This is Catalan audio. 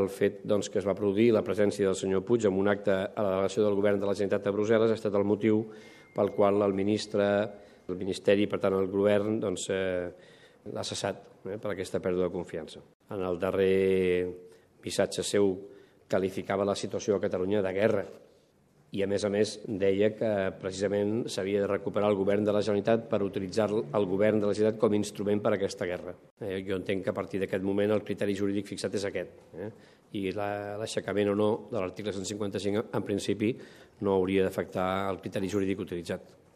El fet que es va produir la presència del senyor Puig en un acte a la delegació del Govern de la Generalitat a Brussel·les ha estat el motiu pel qual el Ministeri, per tant el Govern, l'ha cessat per aquesta pèrdua de confiança. En el darrer missatge seu qualificava la situació a Catalunya de guerra i, a més, deia que precisament s'havia de recuperar el Govern de la Generalitat per utilitzar el Govern de la Generalitat com a instrument per a aquesta guerra. Jo entenc que a partir d'aquest moment el criteri jurídic fixat és aquest, i l'aixecament o no de l'article 155 en principi no hauria d'afectar el criteri jurídic utilitzat.